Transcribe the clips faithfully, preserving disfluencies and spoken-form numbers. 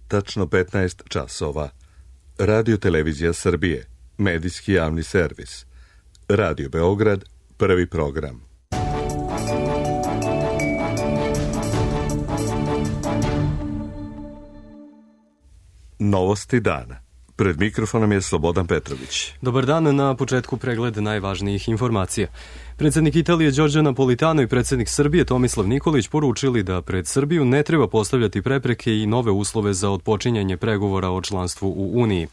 tačno petnaest časova. Radio Televizija Srbije, medijski javni servis. Radio Beograd, prvi program. Novosti dana. Pred mikrofonom je Slobodan Petrović. Dobar dan, na početku pregled najvažnijih informacija. Predsednik Italije Giorgio Napolitano i predsednik Srbije Tomislav Nikolić poručili da pred Srbiju ne treba postavljati prepreke i nove uslove za otpočinjanje pregovora o članstvu u Uniji.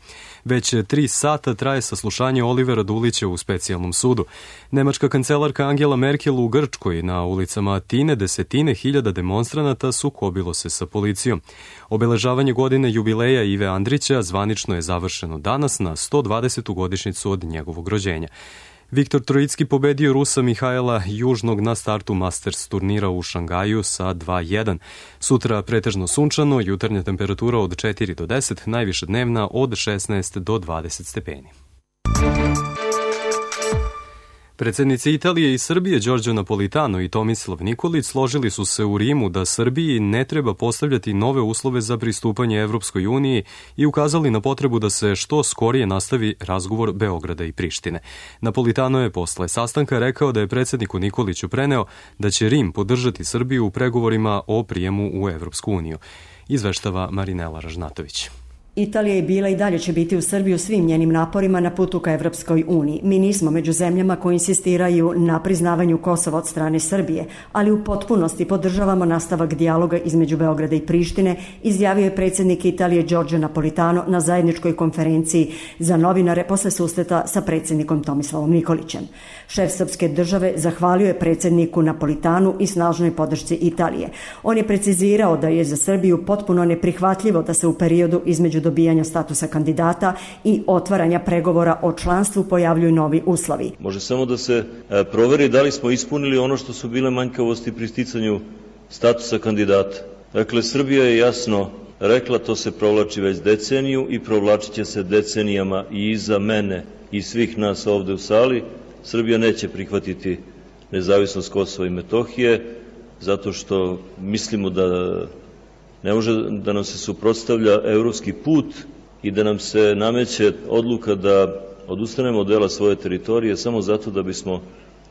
Već tri sata traje saslušanje Olivera Dulića u specijalnom sudu. Nemačka kancelarka Angela Merkel u Grčkoj na ulicama Atine desetine hiljada demonstranata sukobilo se sa policijom. Obeležavanje godine jubileja Ive Andrića zvanično je završeno danas na sto dvadesetu godišnjicu od njegovog rođenja. Viktor Trojicki pobedio Rusa Mihajla Južnog na startu Masters turnira u Šangaju sa dva jedan. Sutra pretežno sunčano, jutarnja temperatura od četiri do deset, najviša dnevna od šesnaest do dvadeset stepeni. Predsednici Italije i Srbije Giorgio Napolitano i Tomislav Nikolić složili su se u Rimu da Srbiji ne treba postavljati nove uslove za pristupanje Evropskoj uniji i ukazali na potrebu da se što skorije nastavi razgovor Beograda i Prištine. Napolitano je posle sastanka rekao da je predsedniku Nikoliću preneo da će Rim podržati Srbiju u pregovorima o prijemu u Evropsku uniju. Izveštava Marinela Ražnatović. Italija je bila i dalje će biti u Srbiji u svim njenim naporima na putu ka Evropskoj uniji. Mi nismo među zemljama koji insistiraju na priznavanju Kosova od strane Srbije, ali u potpunosti podržavamo nastavak dijaloga između Beograda i Prištine, izjavio je predsednik Italije Giorgio Napolitano na zajedničkoj konferenciji za novinare posle susreta sa predsednikom Tomislavom Nikolićem. Šef srpske države zahvalio je predsedniku Napolitanu i snažnoj podršci Italije. On je precizirao da je za Srbiju potpuno neprihvatljivo da se u periodu između dobijanja statusa kandidata i otvaranja pregovora o članstvu pojavljuju novi uslovi. Može samo da se proveri da li smo ispunili ono što su bile manjkavosti pri sticanju statusa kandidata. Dakle, Srbija je jasno rekla, to se provlači već deceniju i provlačit će se decenijama i iza mene i svih nas ovde u sali. Srbija neće prihvatiti nezavisnost Kosova i Metohije zato što mislimo da ne može da nam se suprotstavlja evropski put i da nam se nameće odluka da odustanemo od dela svoje teritorije samo zato da bismo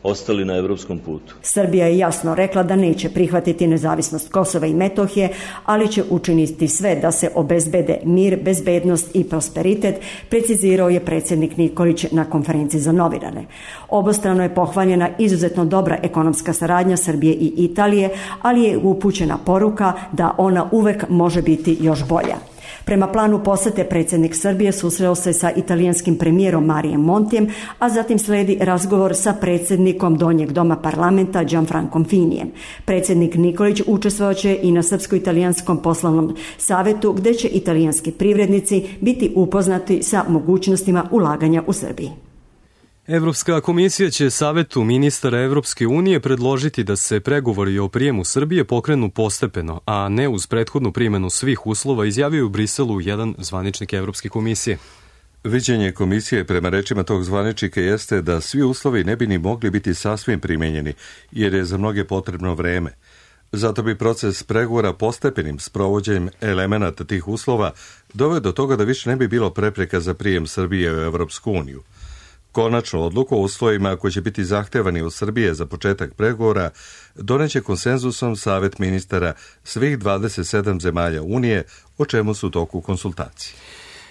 ostali na evropskom putu. Srbija je jasno rekla da neće prihvatiti nezavisnost Kosova i Metohije, ali će učiniti sve da se obezbede mir, bezbednost i prosperitet, precizirao je predsednik Nikolić na konferenciji za novinare. Obostrano je pohvaljena izuzetno dobra ekonomska saradnja Srbije i Italije, ali je upućena poruka da ona uvek može biti još bolja. Prema planu posete predsednik Srbije susreo se sa italijanskim premijerom Marijem Montijem, a zatim sledi razgovor sa predsednikom Donjeg doma parlamenta Gianfrancom Finijem. Predsednik Nikolić učestvovaće i na Srpsko-italijanskom poslovnom savetu, gde će italijanski privrednici biti upoznati sa mogućnostima ulaganja u Srbiji. Evropska komisija će Savetu ministara Evropske unije predložiti da se pregovori o prijemu Srbije pokrenu postepeno, a ne uz prethodnu primenu svih uslova, izjavio u Briselu jedan zvaničnik Evropske komisije. Viđenje komisije prema rečima tog zvaničnika jeste da svi uslovi ne bi ni mogli biti sasvim primenjeni, jer je za mnoge potrebno vreme. Zato bi proces pregovora postepenim sprovođenjem elemenata tih uslova doveo do toga da više ne bi bilo prepreka za prijem Srbije u Evropsku uniju. Konačnu odluku o uslovima koji će biti zahtevani od Srbije za početak pregovora doneće konsenzusom Savet ministara svih dvadeset sedam zemalja Unije, o čemu su u toku konsultacije.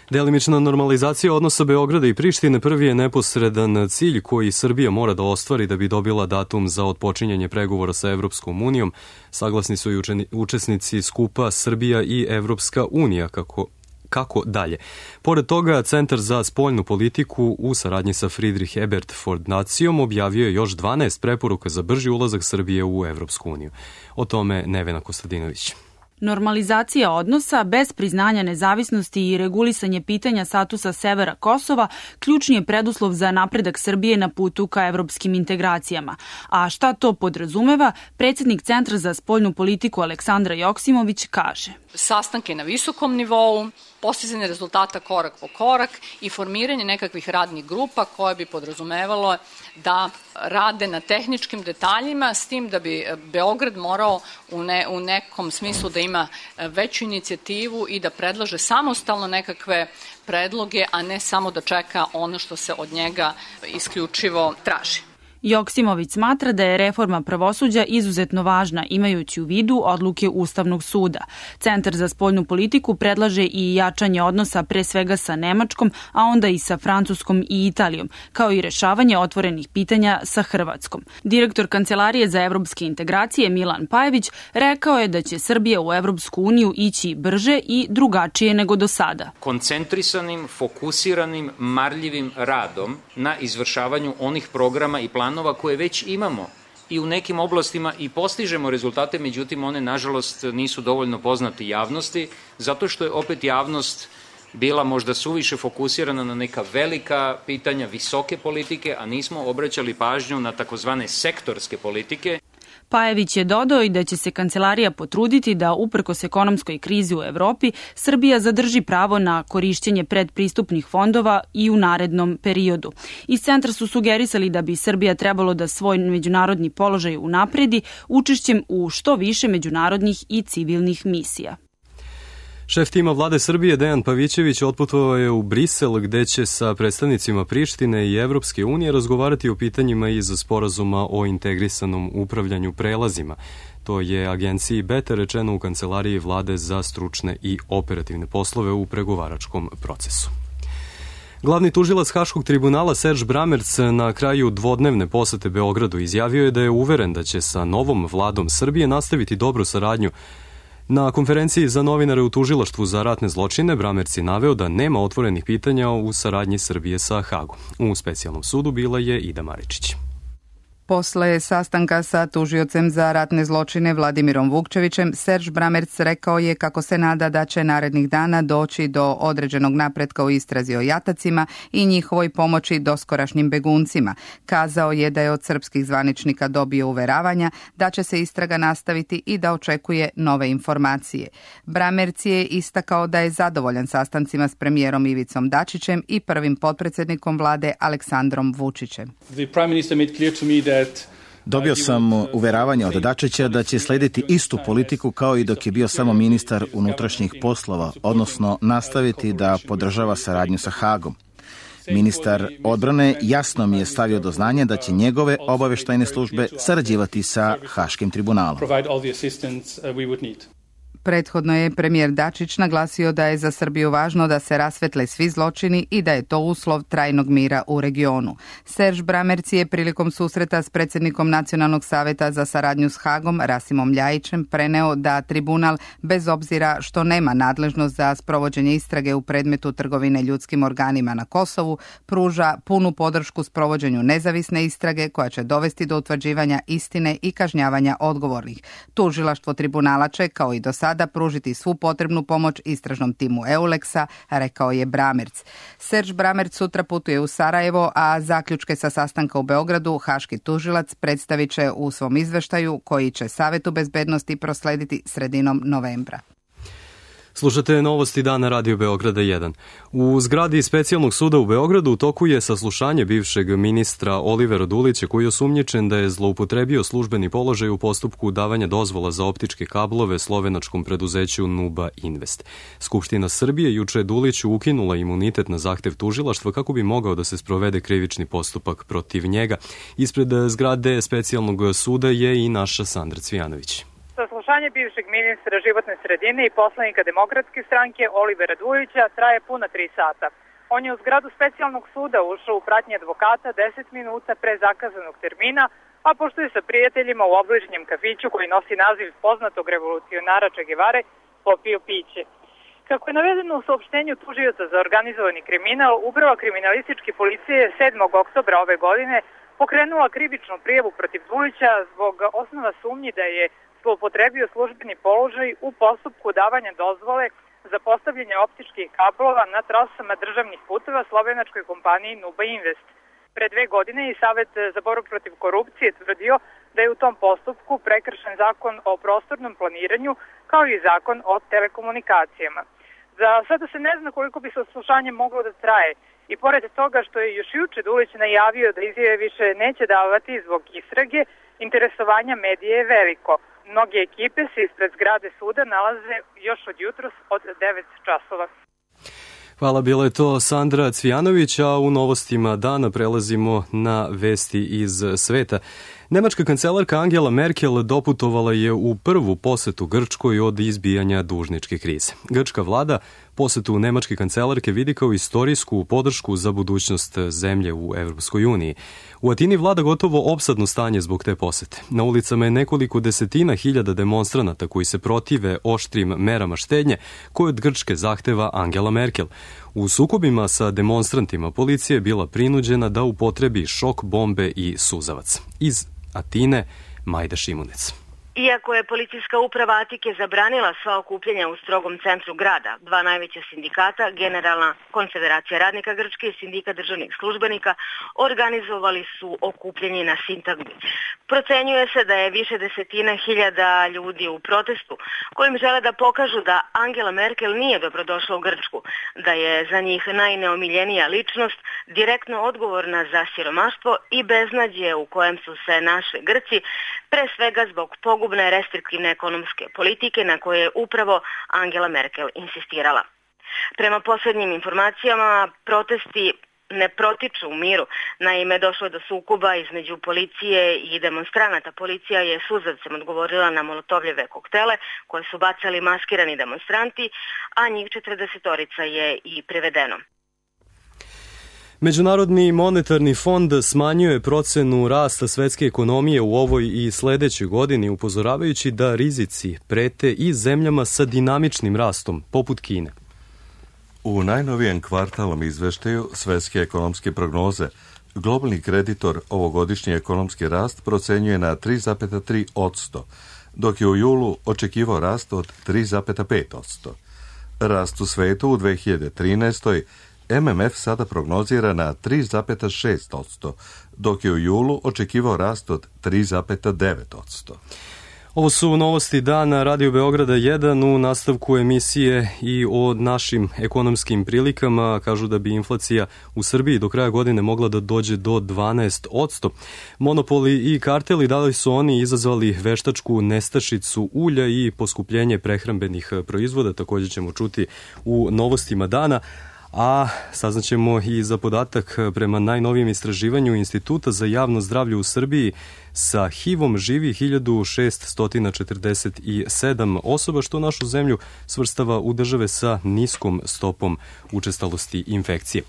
Delimična normalizacija odnosa Beograda i Prištine prvi je neposredan cilj koji Srbija mora da ostvari da bi dobila datum za otpočinjanje pregovora sa Evropskom unijom. Saglasni su i učesnici skupa Srbija i Evropska unija, kako Kako dalje? Pored toga, Centar za spoljnu politiku u saradnji sa Friedrich Ebert Fondacijom objavio je još dvanaest preporuka za brži ulazak Srbije u Evropsku uniju. O tome Nevena Kostadinović. Normalizacija odnosa bez priznanja nezavisnosti i regulisanje pitanja statusa severa Kosova ključni je preduslov za napredak Srbije na putu ka evropskim integracijama. A šta to podrazumeva, predsednik Centra za spoljnu politiku Aleksandra Joksimović kaže. Sastanke na visokom nivou, postizanje rezultata korak po korak i formiranje nekakvih radnih grupa koje bi podrazumevalo da rade na tehničkim detaljima, s tim da bi Beograd morao u, ne, u nekom smislu da ima veću inicijativu i da predlaže samostalno nekakve predloge, a ne samo da čeka ono što se od njega isključivo traži. Joksimović smatra da je reforma pravosuđa izuzetno važna, imajući u vidu odluke Ustavnog suda. Centar za spoljnu politiku predlaže i jačanje odnosa pre svega sa Nemačkom, a onda i sa Francuskom i Italijom, kao i rešavanje otvorenih pitanja sa Hrvatskom. Direktor Kancelarije za evropske integracije Milan Pajević rekao je da će Srbija u Evropsku uniju ići brže i drugačije nego do sada. Koncentrisanim, fokusiranim, marljivim radom na izvršavanju onih programa i planova koje već imamo i u nekim oblastima i postižemo rezultate, međutim one nažalost nisu dovoljno poznate javnosti, zato što je opet javnost bila možda suviše fokusirana na neka velika pitanja visoke politike, a nismo obraćali pažnju na takozvane sektorske politike. Pajević je dodao i da će se kancelarija potruditi da, uprkos ekonomskoj krizi u Evropi, Srbija zadrži pravo na korišćenje predpristupnih fondova i u narednom periodu. Iz centra su sugerisali da bi Srbija trebalo da svoj međunarodni položaj unapredi učešćem u što više međunarodnih i civilnih misija. Šef tima vlade Srbije Dejan Pavićević otputovao je u Brisel, gde će sa predstavnicima Prištine i Evropske unije razgovarati o pitanjima iz sporazuma o integrisanom upravljanju prelazima. To je agenciji Beta rečeno u Kancelariji vlade za stručne i operativne poslove u pregovaračkom procesu. Glavni tužilac Haškog tribunala Serž Bramerc na kraju dvodnevne posete Beogradu izjavio je da je uveren da će sa novom vladom Srbije nastaviti dobru saradnju. Na konferenciji za novinare u Tužilaštvu za ratne zločine Bramerc je naveo da nema otvorenih pitanja u saradnji Srbije sa Hagom. U specijalnom sudu bila je Ida Maričić. Posle sastanka sa tužiocem za ratne zločine Vladimirom Vukčevićem, Serž Bramerc rekao je kako se nada da će narednih dana doći do određenog napretka u istrazi o jatacima i njihovoj pomoći doskorašnjim beguncima. Kazao je da je od srpskih zvaničnika dobio uveravanja da će se istraga nastaviti i da očekuje nove informacije. Bramerc je istakao da je zadovoljan sastancima s premijerom Ivicom Dačićem i prvim potpredsjednikom vlade Aleksandrom Vučićem. The Prime Minister made clear to me that Dobio sam uveravanje od Dačića da će slediti istu politiku kao i dok je bio samo ministar unutrašnjih poslova, odnosno nastaviti da podržava saradnju sa Hagom. Ministar odbrane jasno mi je stavio do znanja da će njegove obaveštajne službe sarađivati sa Haškim tribunalom. Prethodno je premijer Dačić naglasio da je za Srbiju važno da se rasvetle svi zločini i da je to uslov trajnog mira u regionu. Serž Bramerc je prilikom susreta s predsjednikom Nacionalnog saveta za saradnju s Hagom, Rasimom Ljajićem, preneo da tribunal, bez obzira što nema nadležnost za sprovođenje istrage u predmetu trgovine ljudskim organima na Kosovu, pruža punu podršku sprovođenju nezavisne istrage koja će dovesti do utvrđivanja istine i kažnjavanja odgovornih. Tužilaštvo tribunala će, kao i do sada, da pružiti svu potrebnu pomoć istražnom timu Euleksa, rekao je Bramerc. Serž Bramerc sutra putuje u Sarajevo, a zaključke sa sastanka u Beogradu haški tužilac predstavit će u svom izveštaju koji će Savetu bezbednosti proslediti sredinom novembra. Slušate novosti dana Radio Beograda jedan. U zgradi Specijalnog suda u Beogradu u toku je saslušanje bivšeg ministra Olivera Dulića, koji je osumnjičen da je zloupotrebio službeni položaj u postupku davanja dozvola za optičke kablove slovenačkom preduzeću Nuba Invest. Skupština Srbije juče je Duliću ukinula imunitet na zahtev tužilaštva kako bi mogao da se sprovede krivični postupak protiv njega. Ispred zgrade Specijalnog suda je i naša Sandra Cvijanović. Saslušanje bivšeg ministra životne sredine i poslanika Demokratske stranke Olivera Dulića traje puna tri sata. On je u zgradu Specijalnog suda ušao u pratnji advokata deset minuta pre zakazanog termina, a pošto je sa prijateljima u obližnjem kafiću koji nosi naziv poznatog revolucionara Che Guevare, popio piće. Kako je navedeno u saopštenju tužioca za organizovani kriminal, Uprava kriminalističke policije sedmog oktobra ove godine pokrenula krivičnu prijavu protiv Dulića zbog osnova sumnji da je zloupotrebio službeni položaj u postupku davanja dozvole za postavljanje optičkih kablova na trasama državnih puteva slovenačkoj kompaniji Nuba Invest. Pre dve godine i Savet za borbu protiv korupcije tvrdio da je u tom postupku prekršen zakon o prostornom planiranju kao i zakon o telekomunikacijama. Za sada se ne zna koliko bi saslušanje moglo da traje, I pored toga što je još juče Dulić najavio da izjave više neće davati zbog istrage, interesovanja medije je veliko. Mnoge ekipe se ispred zgrade suda nalaze još od jutros od devet časova. Hvala, bila je to Sandra Cvijanović, a u novostima dana prelazimo na vesti iz sveta. Nemačka kancelarka Angela Merkel doputovala je u prvu posetu Grčkoj od izbijanja dužničke krize. Grčka vlada posetu nemačke kancelarke vidi kao istorijsku podršku za budućnost zemlje u Evropskoj uniji. U Atini vlada gotovo opsadno stanje zbog te posete. Na ulicama je nekoliko desetina hiljada demonstranata koji se protive oštrim merama štednje koje od Grčke zahteva Angela Merkel. U sukobima sa demonstrantima policija je bila prinuđena da upotrebi šok bombe i suzavac. Iz Atine, Majda Šimunec. Iako je policijska uprava Atike zabranila sva okupljanja u strogom centru grada, dva najveća sindikata, Generalna konfederacija radnika Grčke i Sindikat državnih službenika, organizovali su okupljanje na Sintagmi. Procenjuje se da je više desetina hiljada ljudi u protestu kojim žele da pokažu da Angela Merkel nije dobrodošla u Grčku, da je za njih najneomiljenija ličnost, direktno odgovorna za siromaštvo i beznađe u kojem su se našli Grci, pre svega zbog pogubne restriktivne ekonomske politike na koje je upravo Angela Merkel insistirala. Prema posljednjim informacijama, protesti ne protiču u miru. Naime, došlo je do sukoba između policije i demonstranata. Policija je suzavcem odgovorila na molotovljeve koktele koje su bacali maskirani demonstranti, a njih četrdesetorica je i privedeno. Međunarodni monetarni fond smanjuje procenu rasta svetske ekonomije u ovoj i sledećoj godini, upozoravajući da rizici prete i zemljama sa dinamičnim rastom, poput Kine. U najnovijem kvartalnom izveštaju svetske ekonomske prognoze globalni kreditor ovogodišnji ekonomski rast procenjuje na tri zarez tri posto, dok je u julu očekivao rast od tri zarez pet posto. Rast u svetu u dve hiljade trinaestoj. M M F sada prognozira na tri zarez šest posto, dok je u julu očekivao rast od tri zarez devet posto. Ovo su novosti dana Radio Beograda jedan u nastavku emisije i o našim ekonomskim prilikama. Kažu da bi inflacija u Srbiji do kraja godine mogla da dođe do dvanaest posto. Monopoli i karteli, da li su oni izazvali veštačku nestašicu ulja i poskupljenje prehrambenih proizvoda, također ćemo čuti u novostima dana. A saznaćemo i za podatak prema najnovijem istraživanju Instituta za javno zdravlje u Srbiji sa H I V-om živi hiljadu šeststo četrdeset sedam osoba, što našu zemlju svrstava u države sa niskom stopom učestalosti infekcije.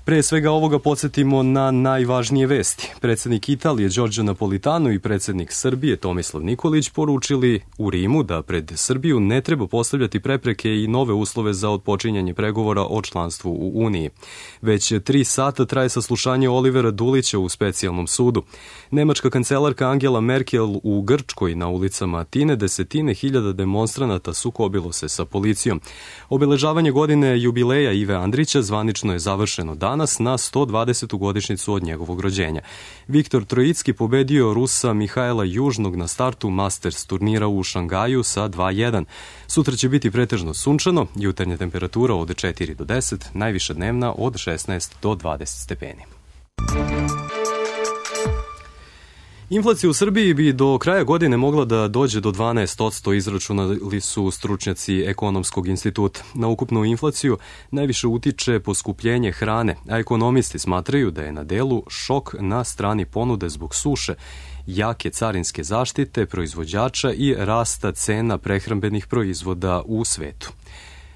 Pre svega ovoga podsjetimo na najvažnije vesti. Predsjednik Italije Giorgio Napolitano i predsjednik Srbije Tomislav Nikolić poručili u Rimu da pred Srbiju ne treba postavljati prepreke i nove uslove za otpočinjanje pregovora o članstvu u Uniji. Već tri sata traje saslušanje Olivera Dulića u specijalnom sudu. Nemačka kancelarka Angela Merkel u Grčkoj na ulicama Atine desetine hiljada demonstranata sukobilo se sa policijom. Obeležavanje godine jubileja Ive Andrića zvanično je završeno danas na sto dvadesetu godišnjicu od njegovog rođenja. Viktor Trojicki pobedio Rusa Mihajla Južnog na startu Masters turnira u Šangaju sa dva jedan. Sutra će biti pretežno sunčano, jutarnja temperatura od četiri do deset, najviša dnevna od šesnaest do dvadeset stepeni. Inflacija u Srbiji bi do kraja godine mogla da dođe do dvanaest posto, izračunali su stručnjaci Ekonomskog instituta. Na ukupnu inflaciju najviše utiče poskupljenje hrane, a ekonomisti smatraju da je na delu šok na strani ponude zbog suše, jake carinske zaštite proizvođača i rasta cena prehrambenih proizvoda u svetu.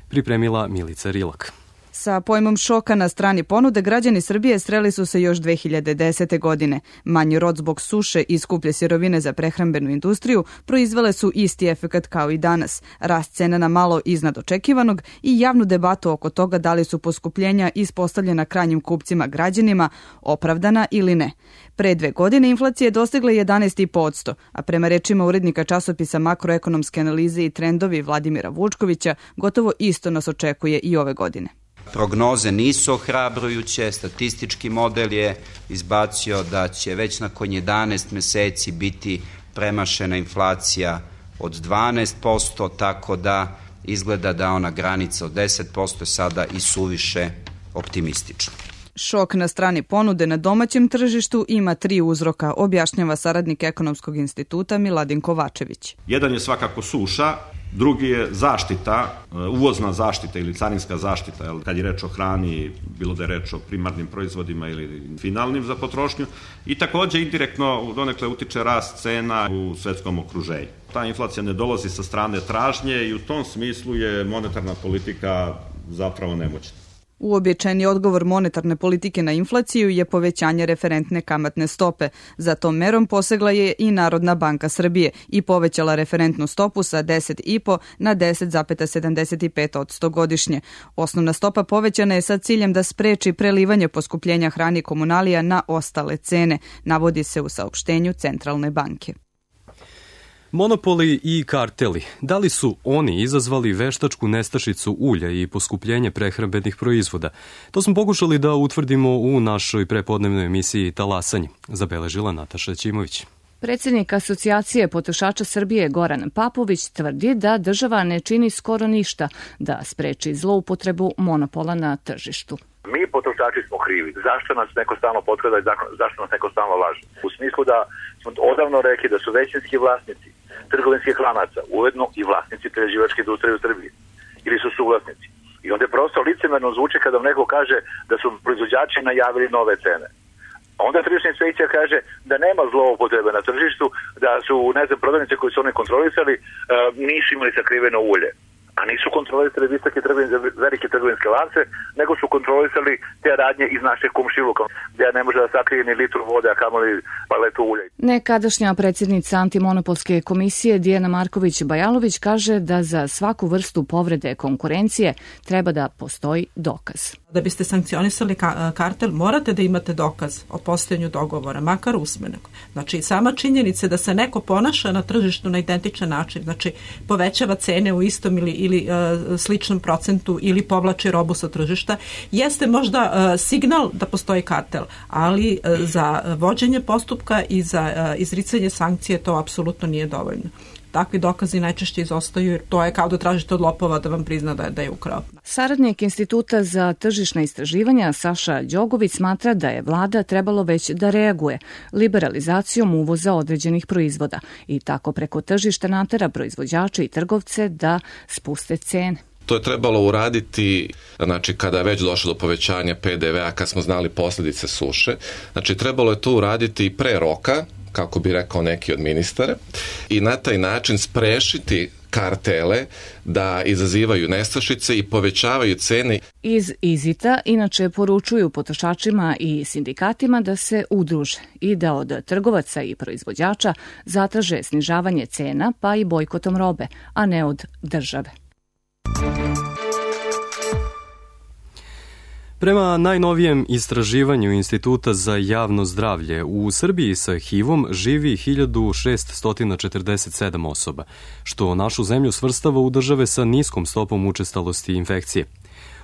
Pripremila Milica Rilak. Sa pojmom šoka na strani ponude građani Srbije sreli su se još dve hiljade desete. godine. Manji rod zbog suše i skuplje sirovine za prehrambenu industriju proizvele su isti efekat kao i danas. Rast cena na malo iznad očekivanog i javnu debatu oko toga da li su poskupljenja ispostavljena krajnjim kupcima građanima opravdana ili ne. Pre dve godine inflacija je dostigla jedanaest zarez pet posto, a prema rečima urednika časopisa Makroekonomske analize i trendovi Vladimira Vučkovića, gotovo isto nas očekuje i ove godine. Prognoze nisu ohrabrujuće, statistički model je izbacio da će već nakon jedanaest meseci biti premašena inflacija od dvanaest posto, tako da izgleda da ona granica od deset posto je sada i suviše optimistična. Šok na strani ponude na domaćem tržištu ima tri uzroka, objašnjava saradnik Ekonomskog instituta Miladin Kovačević. Jedan je svakako suša, drugi je zaštita, uvozna zaštita ili carinska zaštita, kad je reč o hrani, bilo da je reč o primarnim proizvodima ili finalnim za potrošnju, i takođe indirektno donekle utiče rast cena u svetskom okruženju. Ta inflacija ne dolazi sa strane tražnje i u tom smislu je monetarna politika zapravo nemoćna. Uobičajeni odgovor monetarne politike na inflaciju je povećanje referentne kamatne stope. Za tom merom posegla je i Narodna banka Srbije i povećala referentnu stopu sa deset zarez pet na deset zarez sedamdeset pet posto godišnje. Osnovna stopa povećana je sa ciljem da spreči prelivanje poskupljenja hrane i komunalija na ostale cene, navodi se u saopštenju Centralne banke. Monopoli i karteli, da li su oni izazvali veštačku nestašicu ulja i poskupljenje prehrambenih proizvoda? To smo pokušali da utvrdimo u našoj prepodnevnoj emisiji Talasanje, zabeležila Nataša Ćimović. Predsjednik Asocijacije potrošača Srbije Goran Papović tvrdi da država ne čini skoro ništa da spreči zloupotrebu monopola na tržištu. Mi potrošači smo krivi. Zašto nas neko stalno potkrada i zašto nas neko stalno laže? U smislu da smo odavno rekli da su većinski vlasnici trgovinskih lanaca ujedno i vlasnici prerađivačke industrije u Srbiji ili su suvlasnici. I onda je prosto licemerno zvuči kada vam neko kaže da su proizvođači najavili nove cene. Onda tržišna inspekcija kaže da nema zloupotrebe na tržištu, da su, ne znam, prodavnice koje su oni kontrolisali nisu imali sakriveno ulje. A nisu kontrolisali visoke velike trgovinske lance, nego su kontrolisali te radnje iz našeg komšiluka, gdje ne može da sakrije ni litru vode, a kamoli paletu ulja. Nekadašnja predsjednica Antimonopolske komisije Dijana Marković-Bajalović kaže da za svaku vrstu povrede konkurencije treba da postoji dokaz. Da biste sankcionisali kartel, morate da imate dokaz o postojanju dogovora, makar usmenog. Znači, sama činjenica da se neko ponaša na tržištu na identičan način, znači povećava cene u istom ili, ili uh, sličnom procentu ili povlači robu sa tržišta, jeste možda uh, signal da postoji kartel, ali uh, za vođenje postupka i za uh, izricanje sankcije to apsolutno nije dovoljno. Takvi dokazi najčešće izostaju jer to je kao da tražite od lopova da vam prizna da je, da je ukrao. Saradnik Instituta za tržišna istraživanja Saša Đogović smatra da je vlada trebalo već da reaguje liberalizacijom uvoza određenih proizvoda i tako preko tržišta natera proizvođače i trgovce da spuste cene. To je trebalo uraditi, znači kada je već došlo do povećanja pe de vea, kad smo znali posljedice suše. Znači trebalo je to uraditi i pre roka, kako bi rekao neki od ministara, i na taj način sprešiti kartele da izazivaju nestašice i povećavaju cene. Iz Izita inače poručuju potrošačima i sindikatima da se udruže i da od trgovaca i proizvođača zatraže snižavanje cena pa i bojkotom robe, a ne od države. Prema najnovijem istraživanju Instituta za javno zdravlje, u Srbiji sa ha i vom živi hiljadu šessto četrdeset sedam osoba, što našu zemlju svrstava u države sa niskom stopom učestalosti infekcije.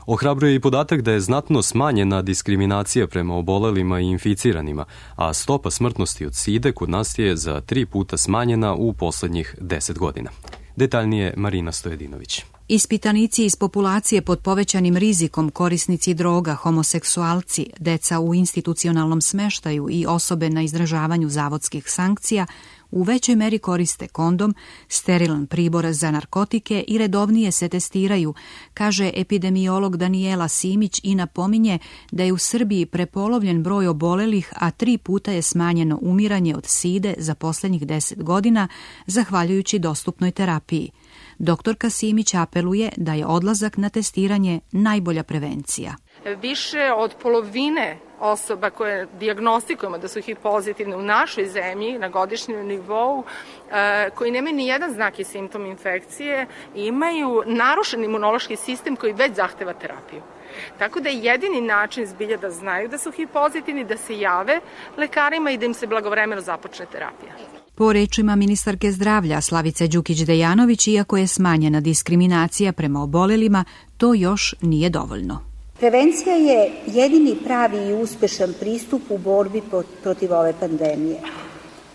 Ohrabruje i podatak da je znatno smanjena diskriminacija prema obolelima i inficiranima, a stopa smrtnosti od side kod nas je za tri puta smanjena u poslednjih deset godina. Detaljnije Marina Stojedinović. Ispitanici iz populacije pod povećanim rizikom, korisnici droga, homoseksualci, deca u institucionalnom smeštaju i osobe na izdržavanju zavodskih sankcija u većoj meri koriste kondom, sterilan pribor za narkotike i redovnije se testiraju, kaže epidemiolog Danijela Simić i napominje da je u Srbiji prepolovljen broj obolelih, a tri puta je smanjeno umiranje od side za poslednjih deset godina, zahvaljujući dostupnoj terapiji. Doktorka Simić apeluje da je odlazak na testiranje najbolja prevencija. Više od polovine osoba koje dijagnostikujemo da su ha i ve pozitivne u našoj zemlji na godišnjem nivou, koji nemaju ni jedan znak i simptom infekcije, imaju narušen imunološki sistem koji već zahteva terapiju. Tako da je jedini način zbilja da znaju da su ha i ve pozitivni, da se jave lekarima i da im se blagovremeno započne terapija. Po rečima ministarke zdravlja Slavice Đukić-Dejanović, iako je smanjena diskriminacija prema obolelima, to još nije dovoljno. Prevencija je jedini pravi i uspešan pristup u borbi protiv ove pandemije.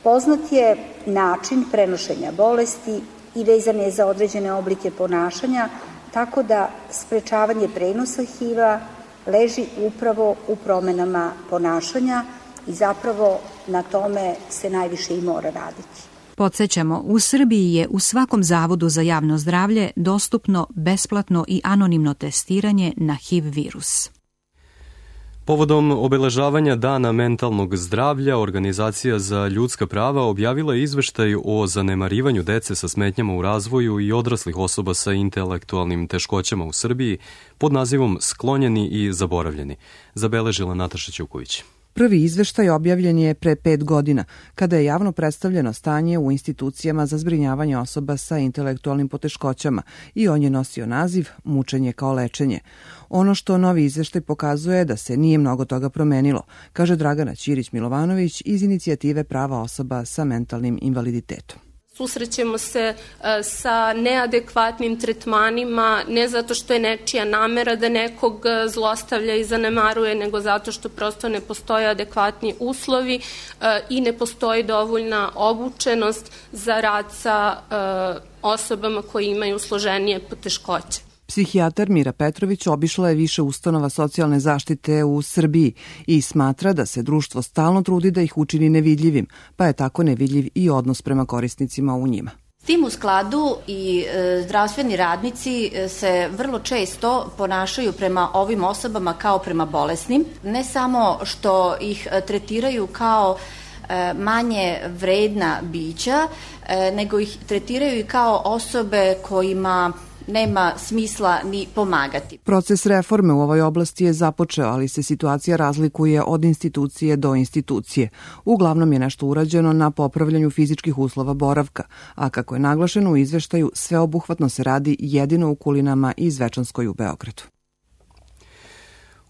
Poznat je način prenošenja bolesti i vezan je za određene oblike ponašanja, tako da sprečavanje prenosa ha i ve-a leži upravo u promenama ponašanja i zapravo na tome se najviše i mora raditi. Podsjećamo, u Srbiji je u svakom zavodu za javno zdravlje dostupno besplatno i anonimno testiranje na H I V virus. Povodom obeležavanja Dana mentalnog zdravlja, Organizacija za ljudska prava objavila je izveštaj o zanemarivanju dece sa smetnjama u razvoju i odraslih osoba sa intelektualnim teškoćama u Srbiji pod nazivom Sklonjeni i zaboravljeni, zabeležila Nataša Ćuković. Prvi izveštaj objavljen je pre pet godina, kada je javno predstavljeno stanje u institucijama za zbrinjavanje osoba sa intelektualnim poteškoćama i on je nosio naziv Mučenje kao lečenje. Ono što novi izveštaj pokazuje je da se nije mnogo toga promenilo, kaže Dragana Ćirić-Milovanović iz inicijative prava osoba sa mentalnim invaliditetom. Susrećemo se sa neadekvatnim tretmanima, ne zato što je nečija namera da nekog zlostavlja i zanemaruje, nego zato što prosto ne postoje adekvatni uslovi i ne postoji dovoljna obučenost za rad sa osobama koji imaju složenije poteškoće. Psihijatar Mira Petrović obišla je više ustanova socijalne zaštite u Srbiji i smatra da se društvo stalno trudi da ih učini nevidljivim, pa je tako nevidljiv i odnos prema korisnicima u njima. S tim u skladu i e, zdravstveni radnici se vrlo često ponašaju prema ovim osobama kao prema bolesnim, ne samo što ih tretiraju kao e, manje vredna bića, e, nego ih tretiraju i kao osobe kojima nema smisla ni pomagati. Proces reforme u ovoj oblasti je započeo, ali se situacija razlikuje od institucije do institucije. Uglavnom je nešto urađeno na popravljanju fizičkih uslova boravka, a kako je naglašeno u izveštaju, sveobuhvatno se radi jedino u Kulinama i Zvečanskoj u Beogradu.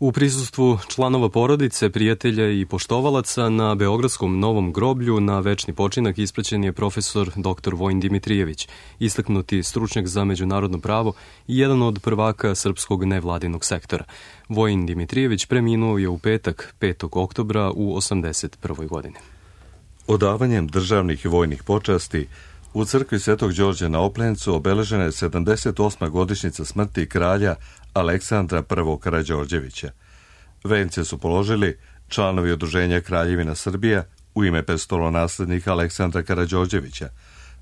U prisustvu članova porodice, prijatelja i poštovalaca na Beogradskom Novom groblju na večni počinak ispraćen je profesor doktor Vojin Dimitrijević, istaknuti stručnjak za međunarodno pravo i jedan od prvaka srpskog nevladinog sektora. Vojin Dimitrijević preminuo je u petak, petog oktobra u osamdeset prvoj godini. Odavanjem državnih i vojnih počasti u crkvi Svetog Đorđa na Oplencu obeležena je sedamdeset osma godišnjica smrti kralja Aleksandra prvog Karađorđevića. Vence su položili članovi Udruženja Kraljevina Srbija u ime prestolonaslednika Aleksandra Karađorđevića,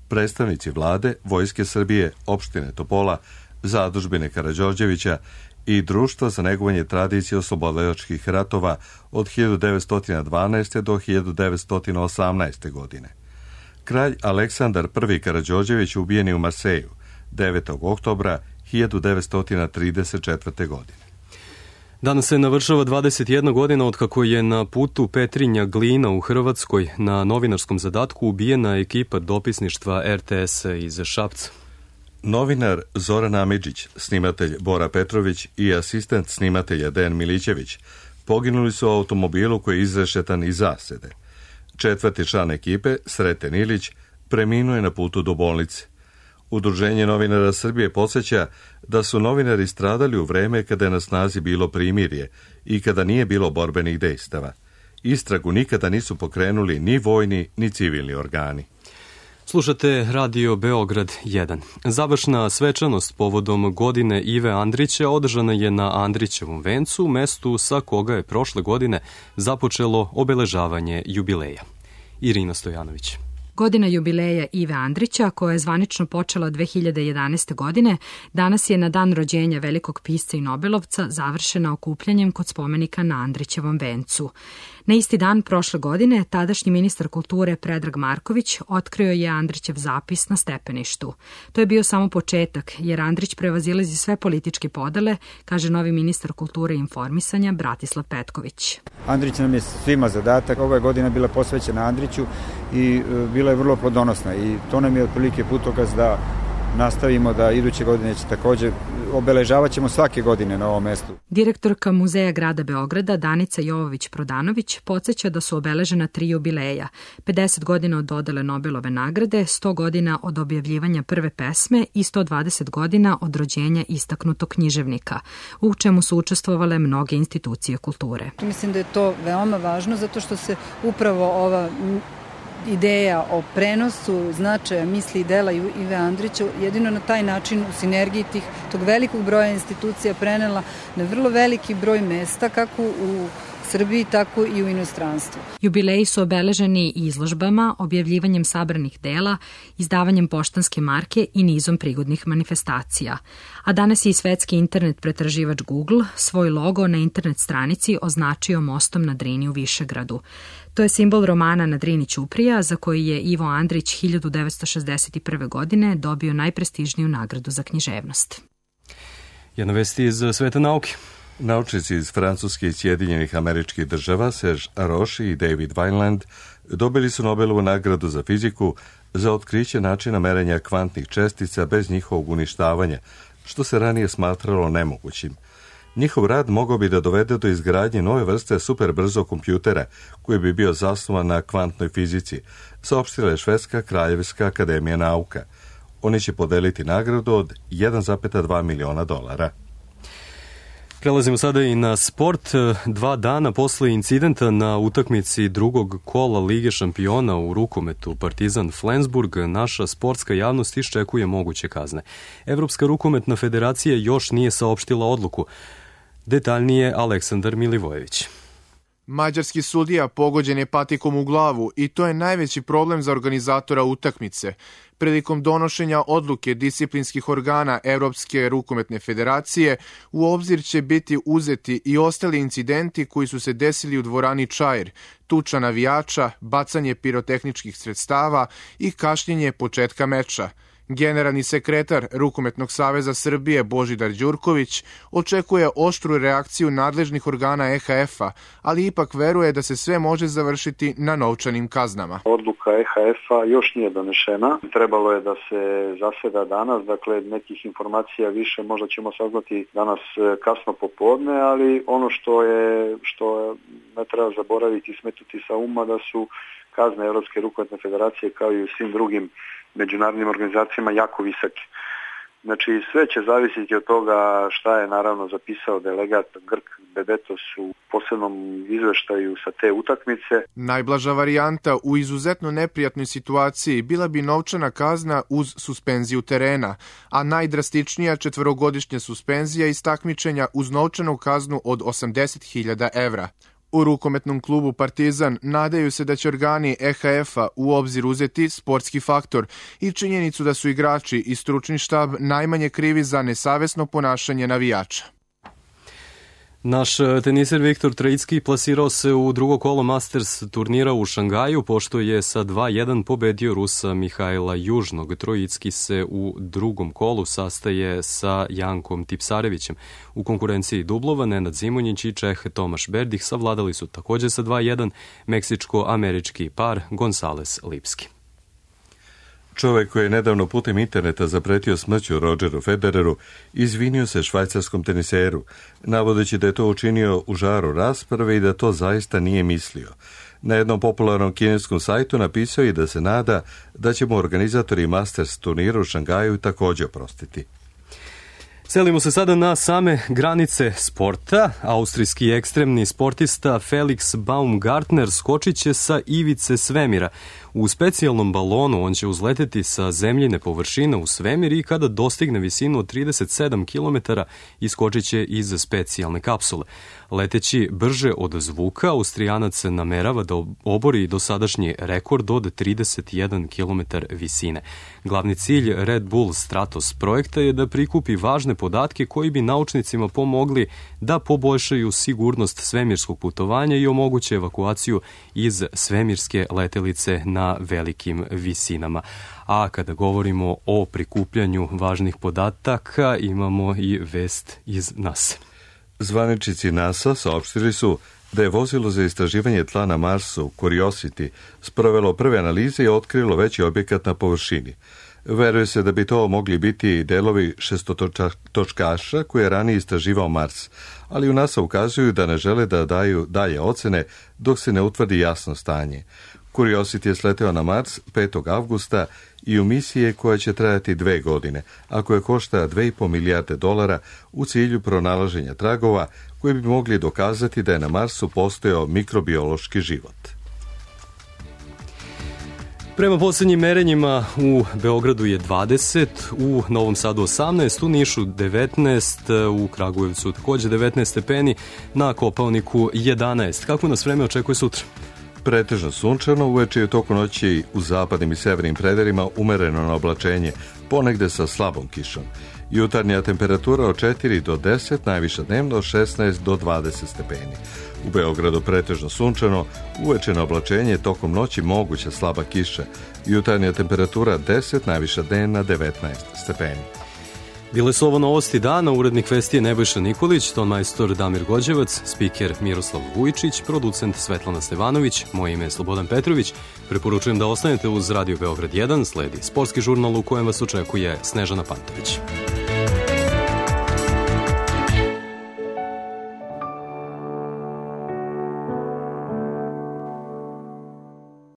predstavnici vlade, Vojske Srbije, opštine Topola, zadužbine Karađorđevića i Društva za negovanje tradicije oslobodilačkih ratova od hiljadu devetsto dvanaeste. do hiljadu devetsto osamnaeste. godine. Kralj Aleksandar prvi Karađorđević ubijen je u Marseju devetog oktobra hiljadu devetsto trideset četvrte. godine. Danas se navršava dvadeset jedna godina od kako je na putu Petrinja Glina u Hrvatskoj na novinarskom zadatku ubijena ekipa dopisništva R T S iz Šapca. Novinar Zoran Amidžić, snimatelj Bora Petrović i asistent snimatelja Dejan Milićević poginuli su u automobilu koji je izrešetan iz zasede. Četvrti član ekipe, Sreten Ilić, preminuo je na putu do bolnice. Udruženje novinara Srbije podsjeća da su novinari stradali u vreme kada je na snazi bilo primirje i kada nije bilo borbenih dejstava. Istragu nikada nisu pokrenuli ni vojni ni civilni organi. Slušate Radio Beograd jedan. Završna svečanost povodom godine Ive Andrića održana je na Andrićevom vencu, mestu sa koga je prošle godine započelo obeležavanje jubileja. Irina Stojanović. Godina jubileja Ive Andrića, koja je zvanično počela dve hiljade jedanaeste. godine, danas je na dan rođenja velikog pisca i nobelovca završena okupljanjem kod spomenika na Andrićevom vencu. Na isti dan prošle godine tadašnji ministar kulture Predrag Marković otkrio je Andrićev zapis na stepeništu. To je bio samo početak, jer Andrić prevazilazi sve političke podele, kaže novi ministar kulture i informisanja Bratislav Petković. Andrić nam je svima zadatak. Ova godina bila posvećena Andriću i bila je vrlo plodonosna i to nam je otprilike putokaz da nastavimo da iduće godine će također obeležavat ćemo svake godine na ovom mestu. Direktorka Muzeja grada Beograda Danica Jovović-Prodanović podsjeća da su obeležena tri jubileja. pedeset godina od dodele Nobelove nagrade, sto godina od objavljivanja prve pesme i sto dvadeset godina od rođenja istaknutog književnika, u čemu su učestvovale mnoge institucije kulture. Mislim da je to veoma važno zato što se upravo ova ideja o prenosu značaja misli i dela Ive Andrića jedino na taj način u sinergiji tih, tog velikog broja institucija prenela na vrlo veliki broj mesta, kako u Srbiji, tako i u inostranstvu. Jubileji su obeleženi izložbama, objavljivanjem sabranih dela, izdavanjem poštanske marke i nizom prigodnih manifestacija. A danas je i svetski internet pretraživač Google svoj logo na internet stranici označio mostom na Drini u Višegradu. To je simbol romana Na Drini Ćuprija, za koji je Ivo Andrić hiljadu devetsto šezdeset prve. godine dobio najprestižniju nagradu za književnost. Jedna vesti iz sveta nauke. Naučnici iz Francuske i Sjedinjenih Američkih Država, Serge Haroche i David Vineland, dobili su Nobelovu nagradu za fiziku za otkriće načina merenja kvantnih čestica bez njihovog uništavanja, što se ranije smatralo nemogućim. Njihov rad mogao bi da dovede do izgradnje nove vrste superbrzog kompjutera, koji bi bio zasnovan na kvantnoj fizici, saopštila je Švedska kraljevska akademija nauka. Oni će podeliti nagradu od jedan zarez dva miliona dolara. Prelazimo sada i na sport. Dva dana posle incidenta na utakmici drugog kola Lige šampiona u rukometu Partizan Flensburg, naša sportska javnost iščekuje moguće kazne. Evropska rukometna federacija još nije saopštila odluku. Detaljnije Aleksandar Milivojević. Mađarski sudija pogođen je patikom u glavu i to je najveći problem za organizatora utakmice. Prilikom donošenja odluke disciplinskih organa Evropske rukometne federacije u obzir će biti uzeti i ostali incidenti koji su se desili u dvorani Čair, tuča navijača, bacanje pirotehničkih sredstava i kašnjenje početka meča. Generalni sekretar Rukometnog saveza Srbije Božidar Đurković očekuje oštru reakciju nadležnih organa E H F-a, ali ipak veruje da se sve može završiti na novčanim kaznama. Odluka E H F-a još nije donešena. Trebalo je da se zaseda danas, dakle nekih informacija više možda ćemo saznati danas kasno popodne, ali ono što je što ne treba zaboraviti i smetnuti sa uma da su kazne Evropske rukometne federacije kao i u svim drugim međunarodnim organizacijama jako visoke. Znači sve će zavisiti od toga šta je naravno zapisao delegat Grk Bebetos u posebnom izveštaju sa te utakmice. Najblaža varijanta u izuzetno neprijatnoj situaciji bila bi novčana kazna uz suspenziju terena, a najdrastičnija četvorogodišnja suspenzija iz takmičenja uz novčanu kaznu od osamdeset hiljada evra. U rukometnom klubu Partizan nadaju se da će organi E H F-a u obzir uzeti sportski faktor i činjenicu da su igrači i stručni štab najmanje krivi za nesavesno ponašanje navijača. Naš teniser Viktor Trojicki plasirao se u drugo kolo Masters turnira u Šangaju, pošto je sa dva jedan pobedio Rusa Mihajla Južnog. Trojicki se u drugom kolu sastaje sa Jankom Tipsarevićem. U konkurenciji dublova Nenad Zimonjić i Čeh Tomaš Berdih savladali su takođe sa dva jedan meksičko-američki par Gonzales Lipski. Čovek koji je nedavno putem interneta zapretio smrću Rodgeru Federeru izvinio se švajcarskom teniseru, navodeći da je to učinio u žaru rasprave i da to zaista nije mislio. Na jednom popularnom kineskom sajtu napisao je da se nada da će mu organizatori Masters turnira u Šangaju također oprostiti. Selimo se sada na same granice sporta. Austrijski ekstremni sportista Felix Baumgartner skočit će sa ivice svemira. U specijalnom balonu on će uzleteti sa zemljine površine u svemir i kada dostigne visinu od trideset sedam kilometara iskočit će iz specijalne kapsule. Leteći brže od zvuka, Austrijanac namerava da obori dosadašnji rekord od trideset jedan kilometar visine. Glavni cilj Red Bull Stratos projekta je da prikupi važne podatke koji bi naučnicima pomogli da poboljšaju sigurnost svemirskog putovanja i omoguće evakuaciju iz svemirske letelice na velikim visinama. A kada govorimo o prikupljanju važnih podataka, imamo i vest iz NASA. Zvaničnici NASA saopštili su da je vozilo za istraživanje tla na Marsu Curiosity sprovelo prve analize i otkrilo veći objekat na površini. Veruje se da bi to mogli biti delovi šestotočkaša koje je ranije istraživao Mars, ali u NASA ukazuju da ne žele da daju dalje ocene dok se ne utvrdi jasno stanje. Curiosity je sleteo na Mars petog avgusta i u misije koja će trajati dve godine, a koja košta dve i po milijarde dolara u cilju pronalaženja tragova koji bi mogli dokazati da je na Marsu postojao mikrobiološki život. Prema poslednjim merenjima u Beogradu je dvadeset, u Novom Sadu osamnaest, u Nišu devetnaest, u Kragujevcu takođe devetnaest stepeni, na Kopaoniku jedanaest. Kako nas vreme očekuje sutra? Pretežno sunčano, uveče je toku noći u zapadnim i severnim predelima umereno na oblačenje, ponegde sa slabom kišom. Jutarnja temperatura od četiri do deset, najviša dnevno od šesnaest do dvadeset stepeni. U Beogradu pretežno sunčano, uveče na oblačenje, tokom noći moguća slaba kiša. Jutarnja temperatura deset, najviša dnevna devetnaest stepeni. Bile su ovo novosti dana, urednik vesti je Nebojša Nikolić, ton majstor Damir Gođevac, spiker Miroslav Vujčić, producent Svetlana Stevanović, moje ime je Slobodan Petrović. Preporučujem da ostanete uz Radio Beograd jedan, sledi sportski žurnal u kojem vas očekuje Snežana Pantović.